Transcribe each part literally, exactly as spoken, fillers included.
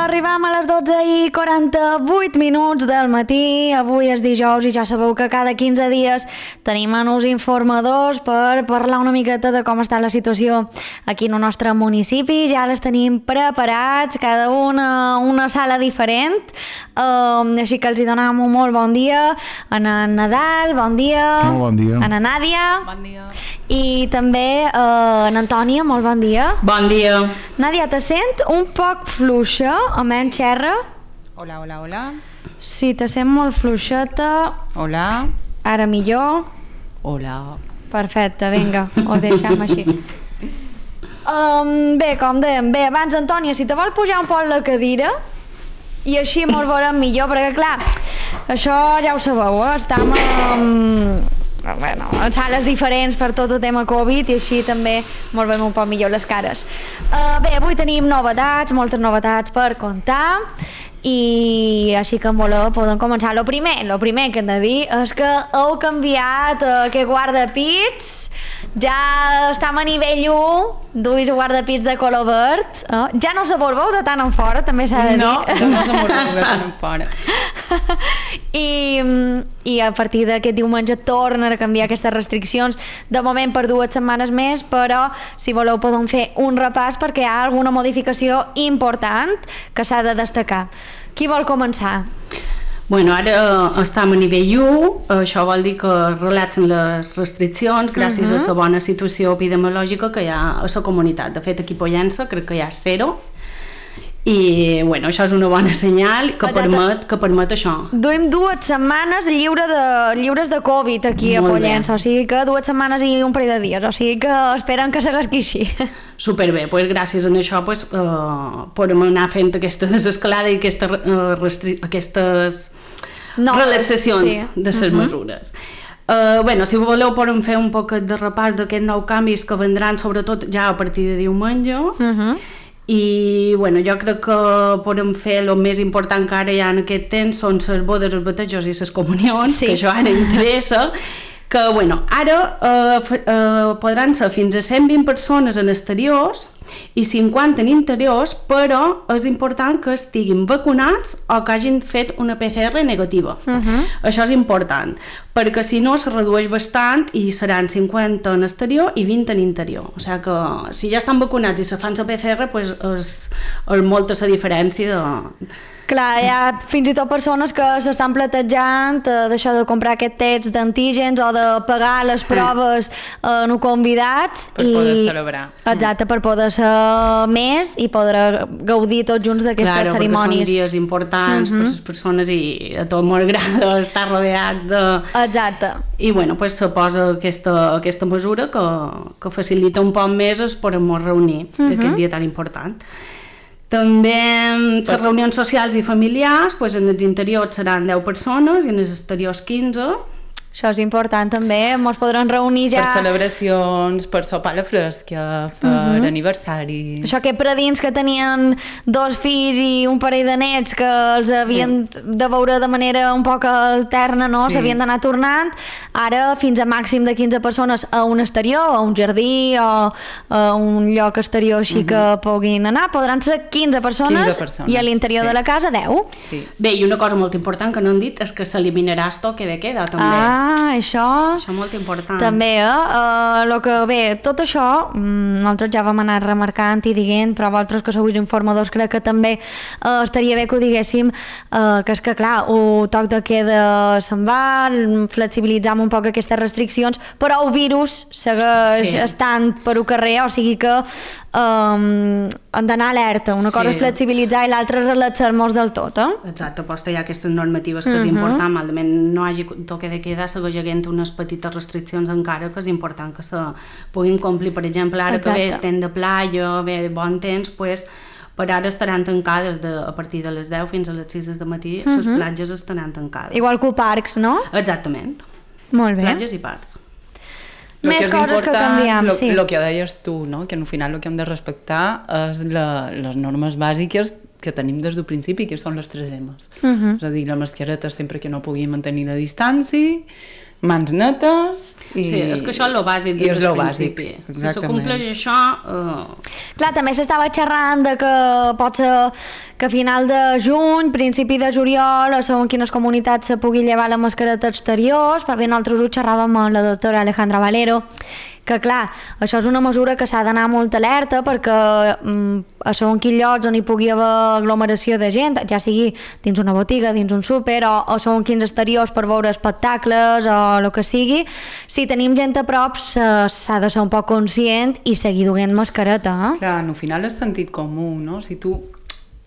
arribam a les dotze i quaranta-vuit minuts del matí. Avui és dijous i ja sabeu que cada quinze dies tenim uns informadors per parlar una miqueta de com està la situació aquí en el nostre municipi. Ja les tenim preparats, cada una una sala diferent, uh, així que els hi donem un molt bon dia a en Nadal, bon dia, molt bon dia, a na Nàdia, bon dia, i també uh, a Antònia, molt bon dia. Bon dia. Nàdia, te sent un poc fluixa, a menys xerra? Hola, hola, hola. Sí, te sent molt fluixeta. Hola. Ara millor. Hola. Perfecte, vinga, ho deixem així. Um, bé, com dèiem, bé, abans, Antònia, si te vol pujar un poc la cadira i així molt veurem millor, perquè clar, això ja ho sabeu, eh? Estem um, bueno, en sales diferents per tot el tema Covid i així també molt veiem un poc millor les cares. Uh, bé, avui tenim novetats, moltes novetats per contar i així que en voleu podem començar. Lo primer, lo primer que hem de dir és que heu canviat uh, aquest guardapits, ja estem a nivell u, duis guardapits de color verd, uh, ja no s'aborbeu de tant en fora, també s'ha de dir. No, ja no s'aborbeu de tant en fora. I, i a partir d'aquest diumenge tornen a canviar aquestes restriccions, de moment per dues setmanes més, però si voleu podem fer un repàs perquè hi ha alguna modificació important que s'ha de destacar. Qui vol començar? Bueno, ara estem a nivell u, això vol dir que relaxen les restriccions gràcies uh -huh. a la bona situació epidemiològica que hi ha a la comunitat. De fet, aquí a Pollença crec que hi ha zero i bueno, això és una bona senyal que permet, que permet això. Duim dues setmanes lliure de, lliures de Covid aquí a Pollença, o sigui que dues setmanes i un parell de dies, o sigui que esperen que segueixi així. Superbé, pues gràcies a això pues, uh, podem anar fent aquesta desescalada i aquesta, uh, restri aquestes no, relaxacions sí. de les uh -huh. mesures. Uh, bueno, si voleu podem fer un poc de repàs d'aquests nous canvis que vendran sobretot ja a partir de diumenge. Uh -huh. I bueno, jo crec que podem fer el més important que ara hi ha en aquest temps són les bodes, els batejos i les comunions, sí. que això ara interessa, que bueno, ara eh, eh, podran ser fins a cent vint persones en exteriors i cinquanta en interiors, però és important que estiguin vacunats o que hagin fet una P C R negativa. Uh-huh. Això és important, perquè si no se redueix bastant i seran cinquanta en exterior i vint en interior. O sigui que si ja estan vacunats i se fan la P C R, pues és, és molta la diferència de... Clar, hi ha fins i tot persones que s'estan platejant eh, d'això de comprar aquest test d'antígens o de pagar les proves eh, no convidats per i... poder celebrar. Exacte, per poder ser més i poder gaudir tots junts d'aquestes claro, cerimònies. Claro, perquè són dies importants uh -huh. per les persones i a tot m'agrada estar rodeat de... Exacte. I bueno, pues se posa aquesta, aquesta mesura que, que facilita un poc més es podem reunir uh -huh. aquest dia tan important. També les reunions socials i familiars, pues en els interiors seran deu persones i en els exteriors quinze. Això és important també, ens podran reunir ja... Per celebracions, per sopar a la fresca, per uh -huh. aniversaris... Això que predins que tenien dos fills i un parell de nets que els havien sí. de veure de manera un poc alterna, no? Sí. S'havien d'anar tornant, ara fins a màxim de quinze persones a un exterior, a un jardí o a un lloc exterior així uh -huh. que puguin anar, podran ser quinze persones, quinze persones i a l'interior sí. de la casa deu. Sí. Bé, i una cosa molt important que no han dit és que s'eliminarà el toque de queda també. Ah, Ah, això... Això és molt important. També, eh? Uh, lo que, bé, tot això nosaltres ja vam anar remarcant i dient, però vosaltres que sou informadors crec que també uh, estaria bé que ho diguéssim, uh, que és que clar, el toc de queda se'n va, flexibilitzam un poc aquestes restriccions, però el virus segueix sí. estant per el carrer, o sigui que um, han d'anar alerta. Una sí. cosa és flexibilitzar i l'altra és relaxar-nos del tot, eh? Exacte, posta hi ha aquestes normatives que uh -huh. és important, malament no hagi toque de queda, segueix havent unes petites restriccions encara que és important que se puguin complir. Per exemple, ara Exacte. que bé estem de playa, bé, bon temps, pues, per ara estaran tancades de, a partir de les deu fins a les sis del matí, les uh -huh. platges estaran tancades. Igual que parcs, no? Exactament. Molt bé. Platges i parcs. Més que coses que canviem, lo, sí. El que deies tu, no? Que al final el que hem de respectar és la, les normes bàsiques que tenim des del principi, que són les tres M's. Uh -huh. És a dir, la mascareta sempre que no pugui mantenir la distància, mans netes i... Sí, és que això és el bàsic des del principi. Si se compleix això... Uh... Clar, també s'estava xerrant de que pot ser que a final de juny, principi de juliol, o segons quines comunitats se pugui llevar la mascareta exteriors. Per bé, nosaltres ho xerràvem amb la doctora Alejandra Valero, que clar, això és una mesura que s'ha d'anar molt alerta perquè mm, a segons quins llocs on hi pugui haver aglomeració de gent, ja sigui dins una botiga, dins un súper o, o segons quins exteriors per veure espectacles o el que sigui, si tenim gent a prop s'ha de ser un poc conscient i seguir duent mascareta. Eh? Clar, al final és sentit comú, no? Si tu...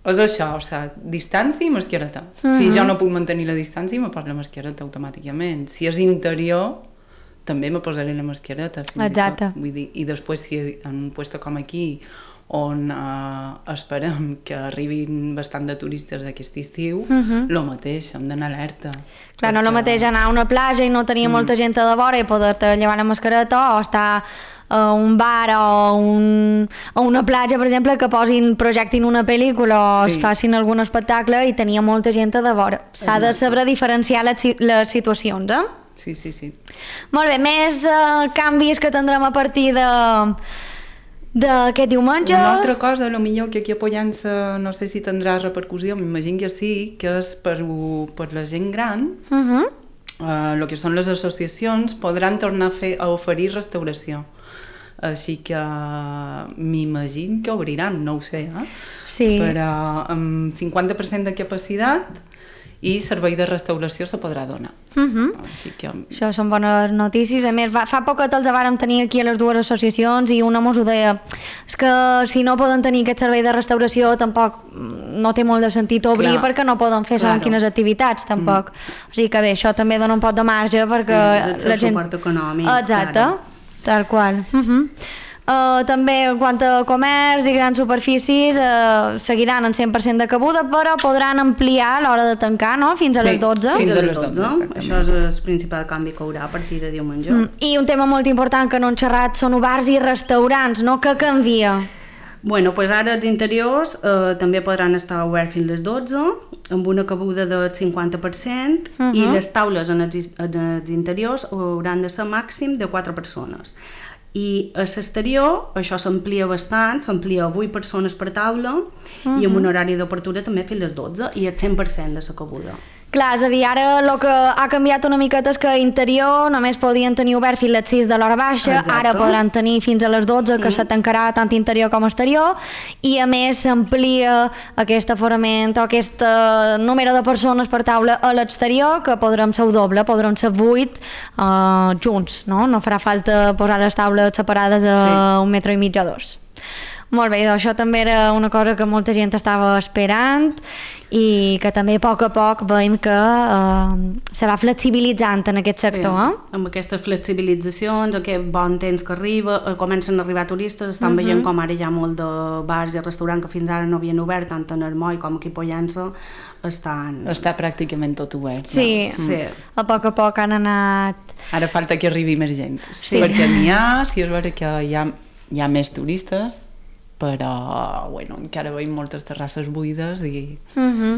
És això, o sigui, distància i mascareta. Mm-hmm. Si jo no puc mantenir la distància, me poso la mascareta automàticament. Si és interior, també me posaré la mascareta. Exacte. I, Vull dir, I després, si en un lloc com aquí, on eh, esperem que arribin bastant de turistes aquest estiu, uh-huh. lo mateix, hem d'anar alerta. Clar, perquè... no el mateix anar a una platja i no tenir mm. molta gent a de vora i poder-te llevar la mascareta, o estar a un bar o un, a una platja, per exemple, que posin, projectin una pel·lícula o sí. es facin algun espectacle i tenia molta gent a de vora. S'ha de saber diferenciar les, les situacions, eh? Sí, sí, sí. Molt bé, més uh, canvis que tindrem a partir de d'aquest diumenge. Una altra cosa, a lo millor que aquí a Pollença no sé si tindrà repercussió, m'imagino que sí, que és per, per la gent gran, uh-huh. uh, el que són les associacions podran tornar a, fer, a oferir restauració. Així que m'imagino que obriran, no ho sé, eh? Sí. Però amb cinquanta per cent de capacitat i servei de restauració se podrà donar. Uh-huh. Així que... Això són bones notícies. A més, va, fa poc que els vàrem tenir aquí a les dues associacions i una mos ho deia, és que si no poden tenir aquest servei de restauració tampoc no té molt de sentit obrir. Clar. Perquè no poden fer segons quines activitats tampoc. Mm. O sigui que bé, això també dona un poc de marge perquè sí, la gent... suport econòmic. Exacte, claro. Tal qual. Uh-huh. Uh, també en quant a comerç i grans superfícies uh, seguiran en cent per cent de cabuda, però podran ampliar l'hora de tancar, no? Fins a sí, les dotze. Fins a les dotze, això és el principal canvi que haurà a partir de diumenge. Mm. I un tema molt important que no han xerrat són bars i restaurants, no? Què canvia? Bueno, pues ara els interiors eh, també podran estar oberts fins a les dotze, amb una cabuda del cinquanta per cent, uh-huh. i les taules en els, en els interiors hauran de ser màxim de quatre persones. I a l'exterior això s'amplia bastant, s'amplia a vuit persones per taula, uh-huh. i amb un horari d'obertura també fins a les dotze i el cent per cent de la cabuda. Clar, és a dir, ara el que ha canviat una miqueta és que a interior només podien tenir obert fins a les sis de l'hora baixa. Exacte. Ara podran tenir fins a les dotze, que mm. se tancarà tant interior com exterior, i a més s'amplia aquest aforament o aquest uh, número de persones per taula a l'exterior, que podrem ser doble, podrem ser vuit uh, junts, no? No farà falta posar les taules separades a sí. un metre i mig o dos. Molt bé, doncs això també era una cosa que molta gent estava esperant i que també a poc a poc veiem que eh, se va flexibilitzant en aquest sector. Sí, eh? Amb aquestes flexibilitzacions, aquest bon temps que arriba, eh, comencen a arribar turistes, estan uh-huh. veient com ara hi ha molt de bars i restaurants que fins ara no havien obert, tant en Armoi com aquí a Pollença, estan... Està pràcticament tot obert. Sí, no? sí. A poc a poc han anat... Ara falta que arribi més gent, sí. perquè n'hi ha, si és vera que hi ha, hi ha més turistes, però bueno, encara veiem moltes terrasses buides i... Uh-huh.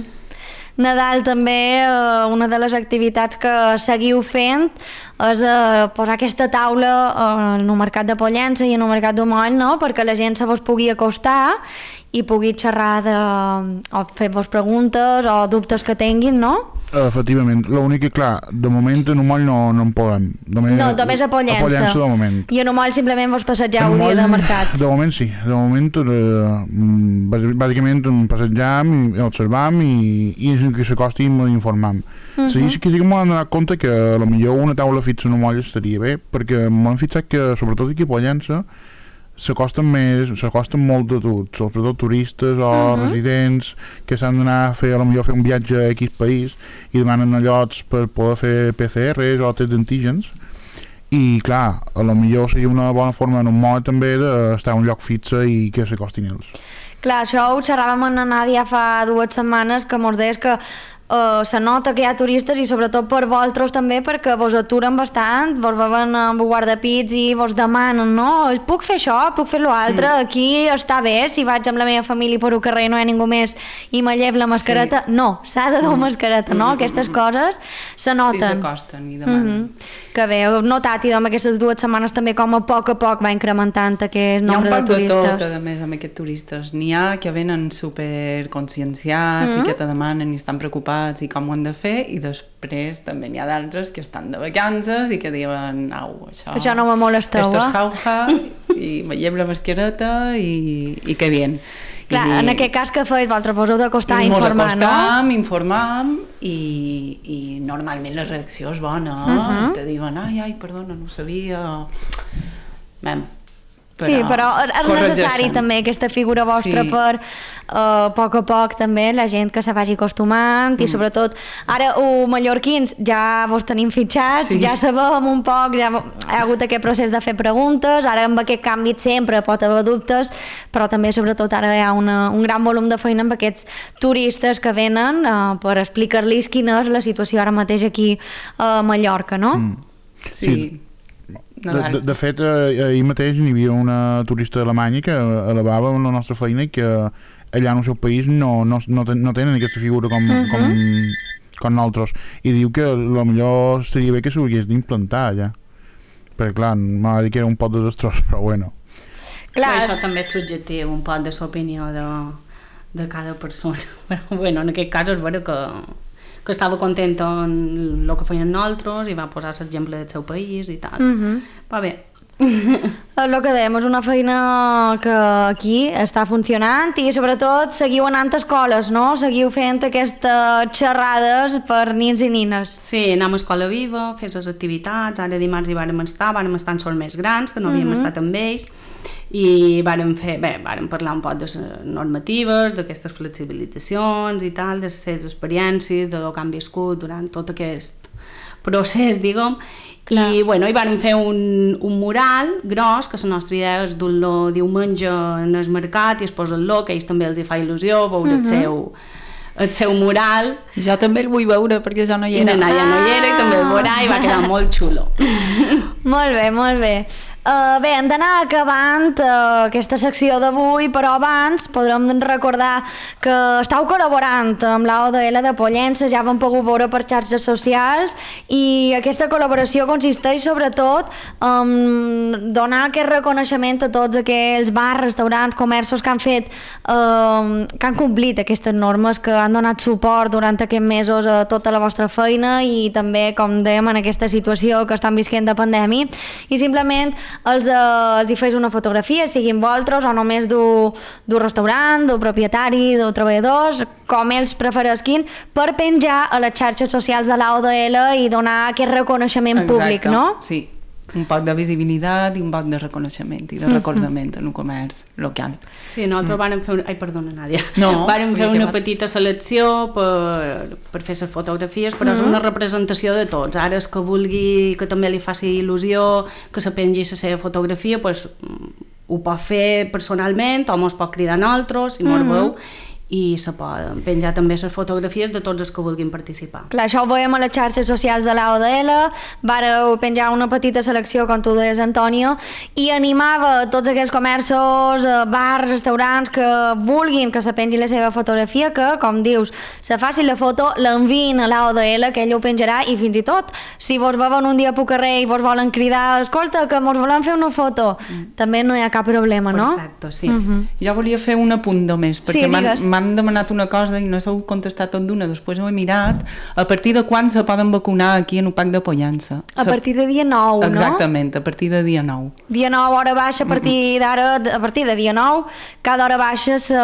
Nadal també, eh, una de les activitats que seguiu fent és eh, posar aquesta taula eh, en el mercat de Pollença i en el mercat d'Omoll, no? Perquè la gent se vos pugui acostar i pugui xerrar de, o fer-vos preguntes o dubtes que tinguin, no? Efectivament, l'únic que, clar, de moment en Omoll no, no en podem. Només, no, només a Pollença. A Pollença de moment. I en Omoll simplement vos passegeu el dia de mercat. De moment sí, de moment eh, bàsicament passegem i observam i, i que s'acostim i informam. Uh-huh. Sí, sí que sí que m'ho han donat compte que potser una taula fixa en Omoll estaria bé, perquè m'han fixat que sobretot aquí a Pollença s'acosten més, s'acosten molt de tot, sobretot turistes o uh-huh. residents que s'han d'anar a fer, a lo millor fer un viatge a X país i demanen llocs per poder fer P C Rs o tests d'antígens i clar, a lo millor seria una bona forma en un modo també d'estar a un lloc fixe i que s'acostin ells. Clar, això ho xerràvem amb la Nàdia fa dues setmanes que mos deies que Uh, se nota que hi ha turistes i sobretot per vosaltres també perquè vos aturen bastant, vos veuen amb guardapits i vos demanen, no? Puc fer això, puc fer l'altre, mm. aquí està bé, si vaig amb la meva família per un carrer no hi ha ningú més i me llevo la mascareta, sí. no, s'ha de dur mm. mascareta, no? Mm. Aquestes coses se noten. Sí, s'acosten i demanen. Mm -hmm. Que bé, heu notat i amb aquestes dues setmanes també com a poc a poc va incrementant aquest nombre de turistes. Hi ha un poc de tot, a més, amb aquests turistes. N'hi ha que venen superconscienciats mm. i que te demanen i estan preocupats i com ho han de fer, i després també n'hi ha d'altres que estan de vacances i que diuen, au, això... Això no me molesteu, esto es jauja, i veiem la mascareta i, i que bien. Clar, I, en aquest cas que feis, vosaltres vos heu d'acostar a informar, no? Mos acostam, informam, i, i normalment la reacció és bona, uh-huh. te diuen, ai, ai, perdona, no ho sabia... Mem, però sí, però és necessari també aquesta figura vostra sí. per uh, a poc a poc també la gent que se vagi acostumant mm. i sobretot ara o mallorquins ja vos tenim fitxats, sí. ja sabem un poc, ja hi ha hagut aquest procés de fer preguntes, ara amb aquest canvi sempre pot haver dubtes, però també sobretot ara hi ha una, un gran volum de feina amb aquests turistes que venen uh, per explicar-los quina és la situació ara mateix aquí a Mallorca, no? Mm. Sí, sí. De, de, de fet, eh, ahir mateix hi havia una turista alemanya que elevava la nostra feina i que allà en el seu país no, no, no, ten, no tenen aquesta figura com, uh-huh. com, com nosaltres, i diu que potser seria bé que s'hagués d'implantar allà, perquè clar, m'ha dit que era un poc desastrós, però bueno. Clar, això també és subjectiu, un poc de l'opinió de, de cada persona, però bueno, en aquest cas és vera que que estava content amb el que feien nosaltres i va posar l'exemple del seu país i tal. Mm-hmm. Va bé. El que dèiem, és una feina que aquí està funcionant i sobretot seguiu anant a escoles, no? Seguiu fent aquestes xerrades per nins i nines. Sí, anem a Escola Viva, fes les activitats, ara dimarts hi vàrem estar, vàrem estar en sols més grans, que no havíem mm-hmm. estat amb ells, i vàrem fer, bé, vàrem parlar un poc de les normatives, d'aquestes flexibilitzacions i tal, de les seves experiències, de que han viscut durant tot aquest procés, diguem, clar. I bueno, hi vàrem fer un, un mural gros, que la nostra idea és dur-lo diumenge en el mercat i exposar-lo, que a ells també els hi fa il·lusió veure uh-huh. el seu el seu mural. Jo també el vull veure perquè jo no hi era. I ja no hi era i també el veurà i va quedar molt xulo. Molt bé, molt bé. Uh, bé, hem d'anar acabant uh, aquesta secció d'avui, però abans podrem recordar que estàu col·laborant amb l'A O D L de Pollença, ja vam pogut veure per xarxes socials, i aquesta col·laboració consisteix sobretot en donar aquest reconeixement a tots aquells bars, restaurants, comerços que han fet, uh, que han complit aquestes normes, que han donat suport durant aquests mesos a tota la vostra feina i també, com dèiem, en aquesta situació que estan visquent de pandèmia, i simplement els, eh, els hi fes una fotografia, siguin vosaltres o només d'un restaurant, d'un propietari, d'un treballadors, com ells preferisquin, per penjar a les xarxes socials de l'A O D L i donar aquest reconeixement Exacte. Públic, no? Sí, un poc de visibilitat i un poc de reconeixement i de recolzament mm-hmm. en un comerç local. Sí, nosaltres mm. vàrem fer... Una... Ai, perdona, Nàdia. No, vàrem fer una petita selecció per, per fer les fotografies, però mm-hmm. és una representació de tots. Ara, és que vulgui que també li faci il·lusió que se pengi la seva fotografia, doncs ho pot fer personalment o mos pot cridar a nosaltres, si mos mm-hmm. veu, i se poden penjar també les fotografies de tots els que vulguin participar. Clar, això ho veiem a les xarxes socials de l'A O D L, vareu penjar una petita selecció, com tu deies, Antonio, i animava tots aquells comerços, bars, restaurants que vulguin que se pengi la seva fotografia, que, com dius, se faci la foto, l'enviïn a l'A O D L, que ell ho penjarà, i fins i tot, si vos veuen un dia pel carrer i vos volen cridar, escolta, que mos volem fer una foto, mm. també no hi ha cap problema, no? Perfecte, sí. Mm-hmm. Jo volia fer un apunt només, perquè sí, m'han demanat una cosa i no s'ho contestat tot d'una, després ho he mirat. A partir de quan se poden vacunar aquí en U P A C de Pollença? A partir de dia nou, no? Exactament, a partir de dia nou. Dia nou, hora baixa, a partir d'ara, a partir de dia nou, cada hora baixa se,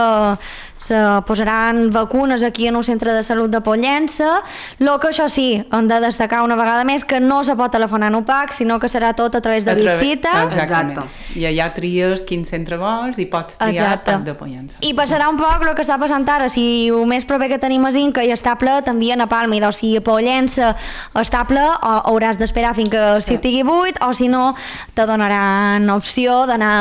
se posaran vacunes aquí en un centre de salut de Pollença. Lo que això sí, hem de destacar una vegada més que no se pot telefonar en U P A C, sinó que serà tot a través de l'Icita. Exactament. Exacte. I allà tries quin centre vols i pots triar U P A C de Pollença. I passarà un poc el que està passant ara, si el més proper que tenim és Inca i està ple, t'envien a Palma, i doncs si a Pollença està ple, o hauràs d'esperar fins que sí. estigui buit, o si no, te donaran opció d'anar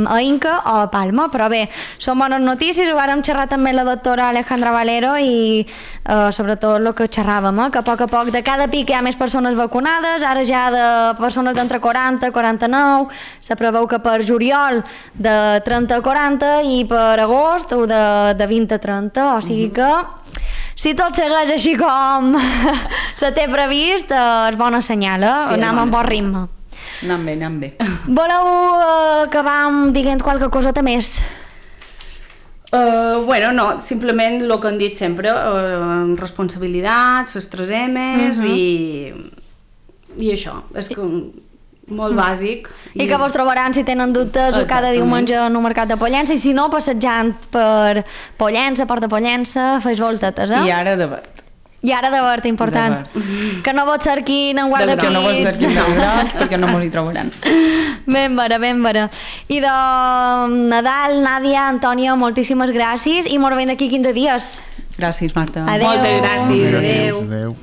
a Inca o a Palma. Però bé, són bones notícies, ho vàrem xerrar xerrar també la doctora Alejandra Valero i uh, sobretot el que xerràvem, eh? que a poc a poc de cada pic hi ha més persones vacunades, ara ja de persones d'entre quaranta a quaranta-nou, se preveu que per juliol de trenta a quaranta i per agost o de, de vint a trenta, o sigui que si tot segueix així com se té previst, eh, és bona senyal, eh? Sí, anem amb bon ritme. Anant bé, anant bé. Voleu uh, acabar amb dient qualque coseta més? Uh, bueno, no, simplement el que han dit sempre, uh, responsabilitats, les tres M's uh -huh. i, i això, és que molt bàsic. I, I que vos trobaran si tenen dubtes o cada diumenge en un mercat de Pollença i si no, passejant per Pollença, Port de Pollença, feis voltetes, eh? I ara de verd. I ara de verd, important. De verd. Que no vos cerquin en guardapits. Que no vos cerquin en groc, perquè no mos hi trobaran. Ben vera, ben vera. I de Nadal, Nàdia, Antònia, moltíssimes gràcies i mos veiem d'aquí quinze dies. Gràcies, Marta. Adéu. Moltes gràcies, adéu. Adéu.